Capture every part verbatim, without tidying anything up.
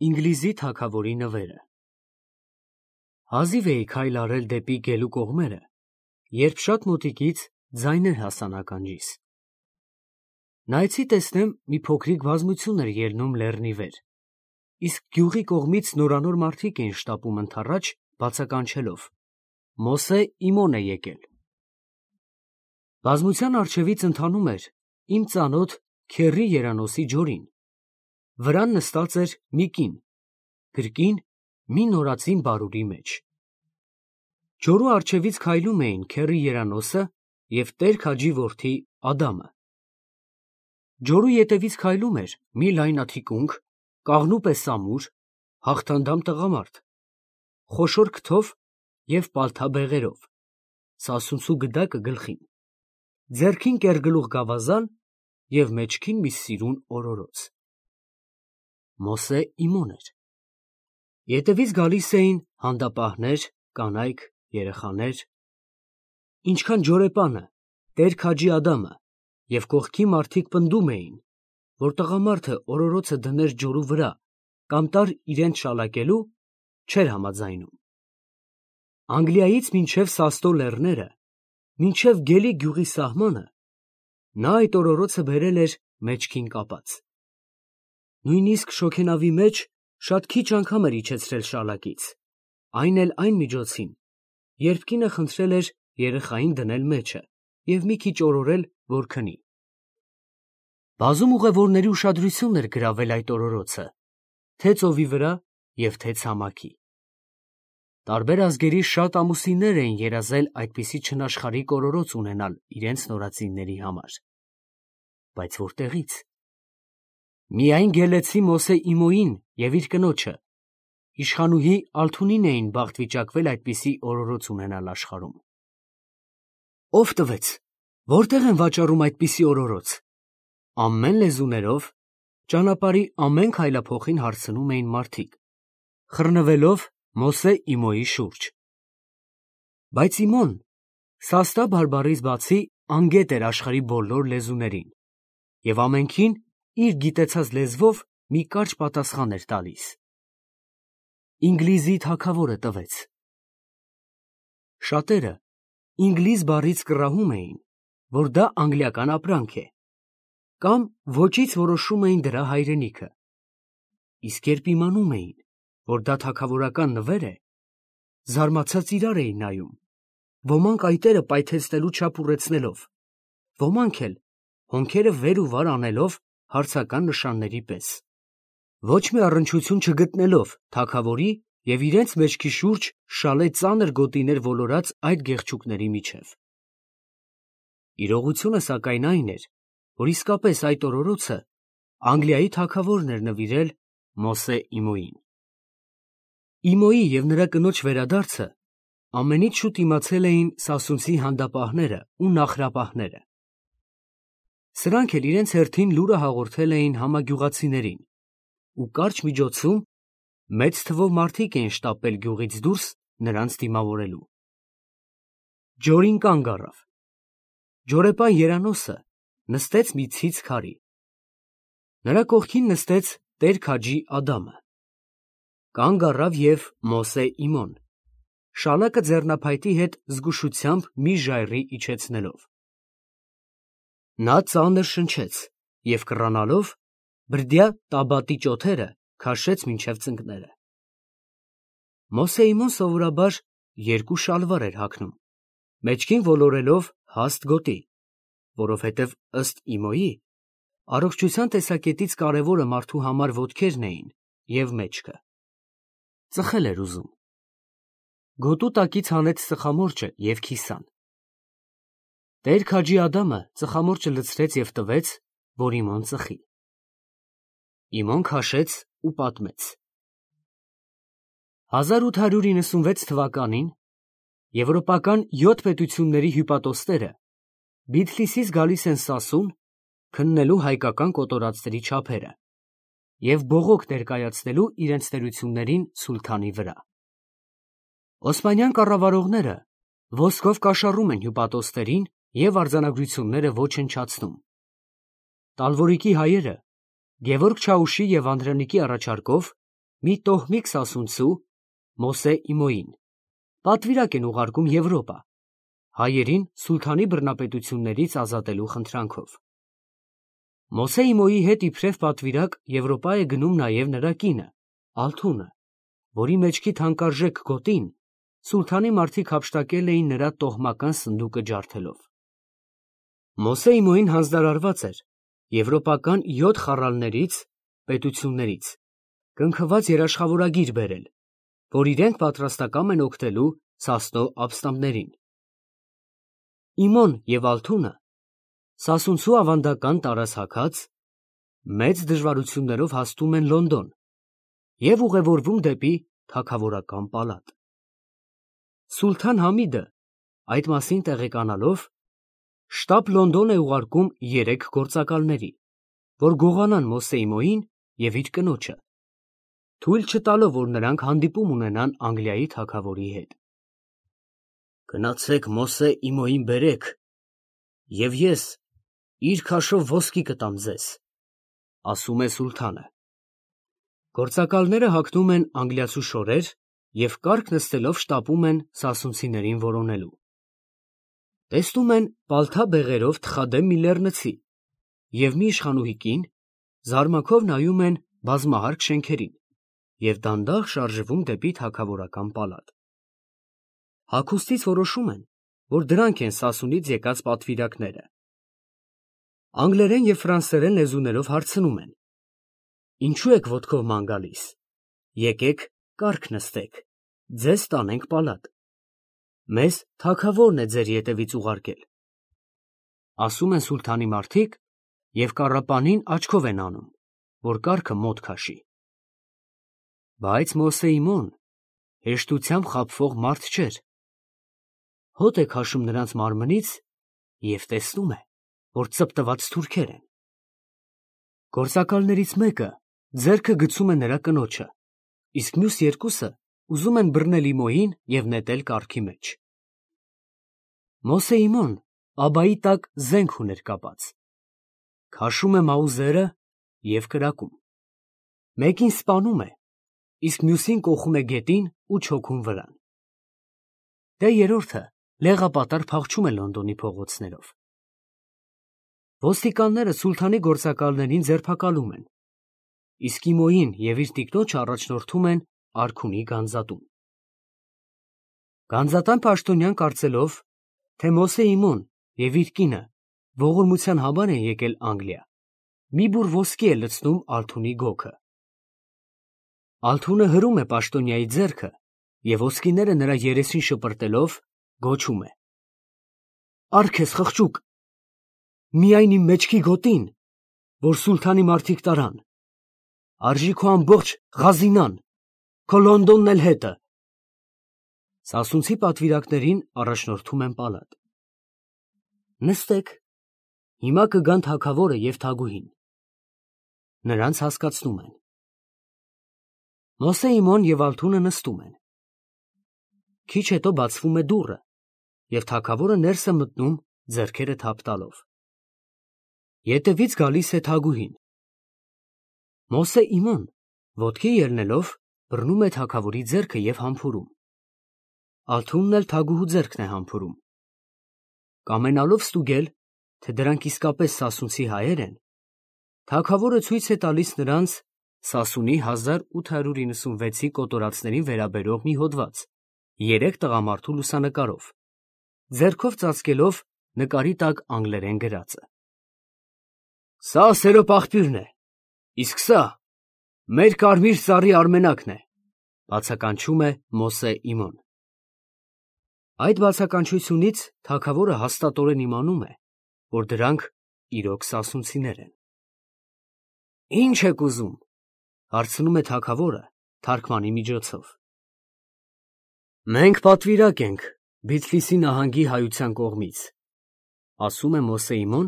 Ինգլիզի թագավորի նվերը։ Հազիվ էի քայլ արել դեպի գելու կողմերը, երբ շատ մոտիկից ձայներ հասան ականջիս։ Նայեցի տեսնեմ մի փոքրիկ բազմություն էր ելնում լեռնի վեր, իսկ գյուղի կողմից նորանոր մարդիկ էին շտապում ընդառաջ, բացականչելով. «Մոսե Իմոն է եկել»։ Բազմության առջևից ընթանում էր իմ ծանոթ Քեռի Երանոսի Ջորին, վրան նստած էր մի կին, գրկին մի նորածին բարուրի մեջ։ Ջորու առջևից քայլում էին Քեռի Երանոսը և Տեր-Քաջի որդի Ադամը։ Ջորու ետևից քայլում էր մի լայնաթիկունք, կաղնու պես ամուր, հաղթանդամ տղամարդ, խոշոր քթով և պալթա բեղերով, սասունցու գդակը գլխին, ձեռքին կեռգլուխ գավազան և մեջքին մի սիրուն օրորոց։ Մոսե Իմոն էր։ Ետևից գալիս էին հանդապահներ, կանայք, երեխաներ։ Ինչքան ջորեպանը, Տեր-Քաջի Ադամը և կողքի մարդիկ պնդում էին, որ տղամարդը օրորոցը դներ ջորու վրա կամ տար իրենց շալակելու, չէր համաձայնում։ Անգլիայից մինչև Սաստո լեռները, մինչև Գելի գյուղի սահմանը, նա այդ օրորոցը բերել էր մեջքին կապած։ Նույնիսկ շոգենավի մեջ շատ քիչ անգամ էր իջեցրել շալակից, այն էլ այն միջոցին, երբ կինը խնդրել էր երեխային դնել մեջը և մի քիչ օրորել, որ քնի։ Բազում ուղևորների ուշադրությունն էր գրավել այդ օրորոցը, թե ծովի վրա և թե ցամաքի։ Տարբեր ազգերի շատ ամուսիններ էին երազել այդպիսի չնաշխարհիկ օրորոց ունենալ իրենց նորածինների համար։ Բայց որտեղից։ Միայն գելեցի Մոսե Իմոյին և իր կնոջը, իշխանուհի Ալթունին էին բախտ վիճակվել այդպիսի օրորոց ունենալ աշխարհում։ Ո՞վ տվեց, որտե՞ղ են վաճառում այդպիսի օրորոց։ Ամեն լեզուներով, ճանապարհի ամեն քայլափոխին հարցնում էին մարդիկ, խռնվելով Մոսե Իմոյի շուրջ։ Բայց Իմոն սաստա բարբառից բացի անգետ էր աշխարհի բոլոր լեզուներին և ամենքին իր գիտեցած լեզվով մի կարճ պատասխան էր տալիս։ Ինգլիզի թագավորը տվեց։ Շատերը ինգլիզ բառից կռահում էին, որ դա անգլիական ապրանք է, կամ ոճից որոշում էին դրա հայրենիքը, իսկ երբ իմանում էին, որ դա թագավորական նվեր է, զարմացած իրար էին նայում, ոմանք այտերը պայթեցնելու չափ ուռեցնելով, ոմանք էլ հոնքերը վեր ու վար անելով հարցական նշանների պես, ոչ մի առնչություն չգտնելով թագավորի և իրենց մեջքի շուրջ շալե ծանր գոտիներ ոլորած այդ գեղչուկների միջև։ Իրողությունը սակայն այն էր, որ իսկապես այդ օրորոցը Անգլիայի թագավորն էր նվիրել Մոսե Իմոյին։ Իմոյի և նրա կնոջ վերադարձը ամենից շուտ իմացել էին սասունցի հանդապահները ու նախրապահները։ Սրանք էլ իրենց հերթին լուրը հաղորդել էին համագյուղացիներին ու կարճ միջոցում մեծ թվով մարդիկ էին շտապել գյուղից դուրս նրանց դիմավորելու։ Ջորին կանգ առավ։ Ջորեպան Երանոսը նստեց մի ցից քարի։ Նրա կողքին նստեց Տեր-Քաջի Ադամը։ Կանգ առավ և Մոսե Իմոն, շալակը ձեռնափայտի հետ զգուշությամբ մի ժայռի իջեցնելով։ Նա ծանր շնչեց և կռանալով բրդյա Տաբատի ճոթերը քաշեց մինչև ծնկները։ Մոսե Իմոն սովորաբար երկու շալվար էր հագնում, մեջքին ոլորելով հաստ գոտի, որովհետև ըստ Իմոյի, առողջության տեսակետից կարևորը մարդու համար ոտքերն էին և մեջքը։ Ծխել էր ուզում։ Գոտու տակից հանեց ծխամորճը և քիսան։ Տեր-Քաջի Ադամը ծխամորճը լցրեց և տվեց, որ Իմոն ծխի։ Իմոն քաշեց ու պատմեց. հազար ութ հարյուր իննսունվեց թվականին եվրոպական յոթ պետությունների հյուպատոսները Բիթլիսից գալիս են Սասուն քննելու հայկական կոտորածների չափերը և բողոք ներկայացնելու իրենց տերություններին սուլթանի վրա։ Օսմանյան կառավարողները ոսկով կաշառում են հյուպատոսներին և արձանագրությունները ոչնչացնում։ Տալվորիկի հայերը Գևորգ Չաուշի և Անդրանիկի առաջարկով մի տոհմիկ սասունցու Մոսե Իմոյին, պատվիրակ են ուղարկում Եվրոպա, հայերին սուլթանի բռնապետություններից ազատելու խնդրանքով։ Մոսե Իմոյի հետ իբրև պատվիրակ Եվրոպա է գնում նաև նրա կինը, Ալթունը, որի մեջքի թանկարժեք գոտին սուլթանի մարդիկ հափշտակել էին նրա տոհմական սնդուկը ջարդելով։ Մոսե Իմոյին հանձնարարված էր եվրոպական յոթ խառալներից, պետություններից, կնքված երաշխավորագիր բերել, որ իրենք պատրաստակամ են օգնելու Սասնո ապստամբներին։ Իմոն և Ալթունը սասունցու ավանդական տարասհաքած, մեծ դժվարություններով հասնում են Լոնդոն և ուղևորվում դեպի թագավորական պալատ։ Սուլթան Համիդը, այդ մասին տեղեկանալով, շտապ Լոնդոն է ուղարկում երեք գործակալների, որ գողանան Մոսե Իմոյին և իր կնոջը, թույլ չտալով, որ նրանք հանդիպում ունենան Անգլիայի թագավորի հետ։ Գնացեք Մոսե Իմոյին բերեք, և ես իր քաշով ոսկի կտամ ձեզ, ասում է սուլթանը։ Գործակալները հագնում են անգլիացու շորեր և կառք նստելով շտապում են սասունցիներին որոնելու։ Տեսնում են պալթա բեղերով թխադեմ մի լեռնցի և մի իշխանուհի կին, զարմանքով նայում են բազմահարկ շենքերին և դանդաղ շարժվում դեպի թագավորական պալատ։ Հագուստից որոշում են, որ դրանք են Սասունից եկած պատվիրակները։ Անգլերեն և ֆրանսերեն լեզուներով հարցնում են. Ինչու եք ոտքով ման գալիս, եկեք կառք նստեք, ձեզ տանենք պալատ, մեզ թագավորն է ձեր ետևից ուղարկել, ասում են սուլթանի մարդիկ և կառապանին աչքով են անում, որ կառքը մոտ քաշի։ Բայց Մոսե Իմոն հեշտությամբ խաբվող մարդ չէր, հոտ է քաշում նրանց մարմնից և տեսնում է, որ ծպտված թուրքեր են։ Գործակալներից մեկը ձեռքը գցում է նրա կնոջը, իսկ մյուս երկուսը ուզում են բռնել Իմոյին և նետել կառքի մեջ։ Մոսե Իմոն աբայի տակ զենք ուներ կապած, քաշում է մաուզերը և կրակում, մեկին սպանում է, իսկ մյուսին կոխում է գետին ու չոքում վրան։ Դե երրորդը լեղապատար փախչում է Լոնդոնի փողոցներով։ Ոստիկանները սուլթանի գործակալներին ձերբակալում են, իսկ Իմոյին և իր տիկնոջը առաջնորդում են արքունի գանձատուն։ Գանձատան պաշտոնյան կարծելով, թե Մոսե Իմոն և իր կինը ողորմության համար են եկել Անգլիա, մի բուռ ոսկի է լցնում Ալթունի գոգը։ Ալթունը հրում է պաշտոնյայի ձեռքը և ոսկիները նրա երեսին շպրտելով գոչում է. Առ քեզ խղճուկ, միայն իմ մեջքի գոտին, որ սուլթանի մարդիկ տարան, արժի քո ամբողջ Ղազինան, քո Լոնդոնն էլ հետը։ Սասունցի պատվիրակներին առաջնորդում են պալատ։ Նստեք, հիմա կգան թագավորը և թագուհին։ Նրանց հասկացնում են։ Մոսե Իմոն և Ալթունը նստում են։ Քիչ հետո բացվում է դուռը, և թագավորը ներս է մտնում ձեռքերը թափ տալով։ Ետևից գալիս է թագուհին։ Մոսե Իմոն ոտքի ելնելով բռնում է թագավորի ձեռքը և համբուրում։ Ալթունն էլ թագուհու ձեռքն է համբուրում։ Կամենալով ստուգել, թե դրանք իսկապես սասունցի հայեր են, թագավորը ցույց է տալիս նրանց Սասունի հազար ութ հարյուր իննսունվեցի կոտորածներին վերաբերող մի հոդված երեք տղամարդու լուսանկարով, ձեռքով ծածկելով նկարի տակ անգլերեն գրածը։ Սա սերո աղբյուրն է, իսկ սա մեր կարմիր ծառի արմենակն է, բացականչում է Մոսե Իմոն։ Այդ բացականչությունից թագավորը հաստատորեն իմանում է, որ դրանք իրոք սասունցիներ են։ Ի՞նչ եք ուզում, հարցնում է թագավորը թարգմանի միջոցով։ Մենք պատվիրակ ենք Բիթլիսի նահանգի հայության կողմից, ասում է Մոսե Իմոն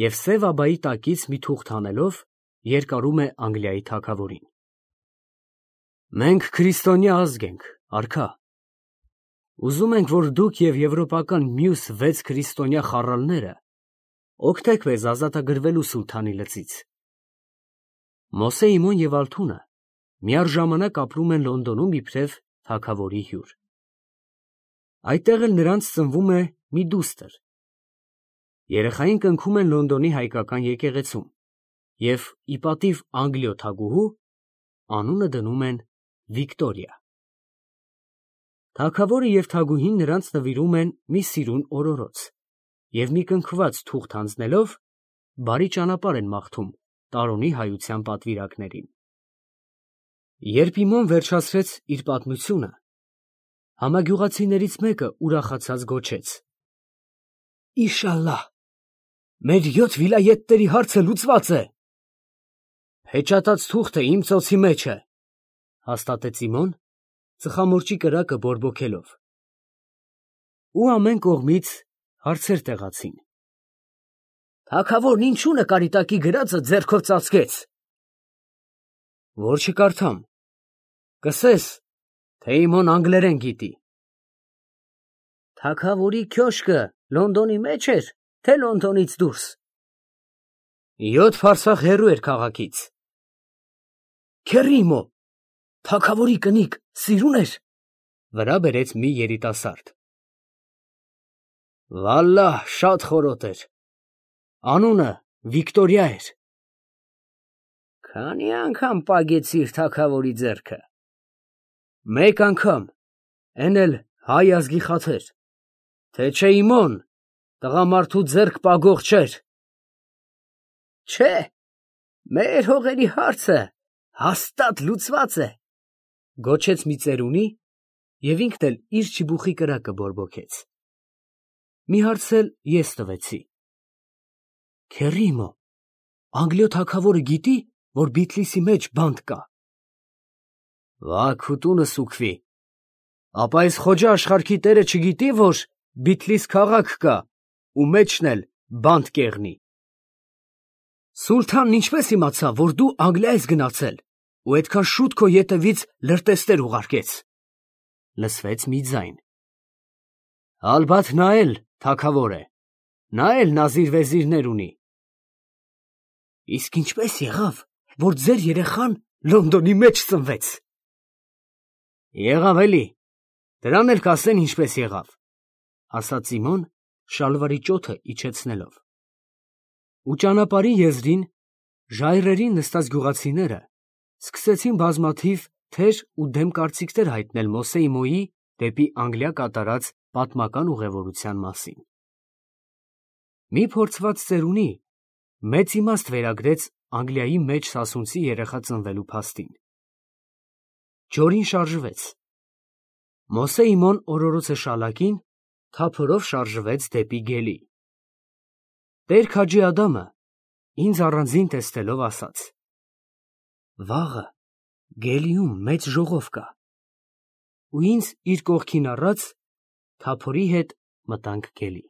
և սև աբայի տակից մի թուղթ հանելով երկարում է Անգլիայի թագավորին։ Մենք քրիստոնյա ազգ ենք, արքա։ Ուզում ենք, որ դուք և եվրոպական մյուս վեց քրիստոնյա խառալները օգնեք մեզ ազատագրվելու սուլթանի լծից։ Մոսե Իմոն և Ալթունը միառժամանակ ապրում են Լոնդոնում իբրև թագավորի հյուր։ Այդտեղ էլ նրանց ծնվում է մի դուստր։ Երեխային կնքում են Լոնդոնի հայկական եկեղեցում և ի պատիվ Անգլիո թագուհու անունը դնում են Վիկտորիա։ Թագավորը և թագուհին նրանց նվիրում են մի սիրուն օրորոց և մի կնքված թուղթ հանձնելով բարի ճանապարհ են մաղթում տարոնի հայության պատվիրակներին։ Երբ Իմոն վերջացրեց իր պատմությունը, համագյուղացիներից մեկը ուրախացած գոչեց. «Իշալլահ, մեր յոթ վիլայեթների հարցը լուծված է»։ «Պեչատած թուղթը իմ ծոցի մեջ է», հաստատեց Իմոն, ծխամորճի կրակը բորբոքելով։ Ու ամեն կողմից հարցեր տեղացին։ «Թագավորն ինչու նկարի տակի գրածը ձեռքով ծածկեց»։ «Որ չկարդամ, կսես, թե Իմոն անգլերեն գիտի»։ «Թագավորի քյոշկը Լոնդոնի մեջ էր, թե Լոնդոնից դուրս»։ «Յոթ փարսախ հեռու էր քաղաքից»։ «Քեռի Իմո, թագավորի կնիկ սիրուն էր»։ Վրա բերեց մի երիտասարդ։ «Վալլահ, շատ խորոտ էր, անունը Վիկտորիա էր»։ «Քանի՞ անգամ պագեցիր թագավորի ձեռքը»։ «Մեկ անգամ, էն էլ հայ ազգի խաթր, թե չէ Իմոն տղամարդու ձեռք պագող չէր»։ «Չէ, մեր հողերի հարցը հաստատ լուծված է», գոչեց մի ծերունի և ինքն էլ իր չիբուխի կրակը բորբոքեց։ Մի հարց էլ ես տվեցի։ «Քեռի Իմո, Անգլիո թագավորը գիտի, որ Բիթլիսի մեջ բանտ կա»։ «Վա քուտունս ուքվի, ապա այս Խոջա աշխարհքի տերը չգիտի, որ Բիթլիս քաղաք կա ու մեջն էլ բանտ կեղնի»։ «Սուլթանն ինչպե՞ս իմացավ, որ դու Անգլիա ես գնացել ու այդքան շուտ քո ետևից լրտեսներ ուղարկեց»։ Լսվեց մի ձայն։ «Ալբաթ նա էլ թագավոր է, նա էլ նազիր֊վեզիրներ ունի»։ «Իսկ ինչպե՞ս եղավ, որ ձեր երեխան Լոնդոնի մեջ ծնվեց»։ «Եղավ էլի, դրան էլ կասեն ինչպես եղավ», ասաց Սիմոն շալվարի ճոթը իջեցնելով։ Ու ճանապարհի եզրին ժայռերին նստած գյուղացիները սկսեցին բազմաթիվ թեր ու դեմ կարծիքներ հայտնել Մոսեիմոյի դեպի Անգլիա կատարած պատմական ուղևորության մասին։ Մի փորձված ծերունի մեծ իմաստ վերագրեց Անգլիայի մեջ սասունցի երեխա ծնվելու փաստին։ Ջորին շարժվեց։ Մոսեիմոն օրորոցը շալակին թափորով շարժվեց դեպի գելի։ Տեր Քաջի Ադամը ինձ առանձին տեսնելով ասաց. «Վաղը գելիում մեծ ժողով կա»։ Ու ինձ իր կողքին առած թափորի հետ մտանք գելի։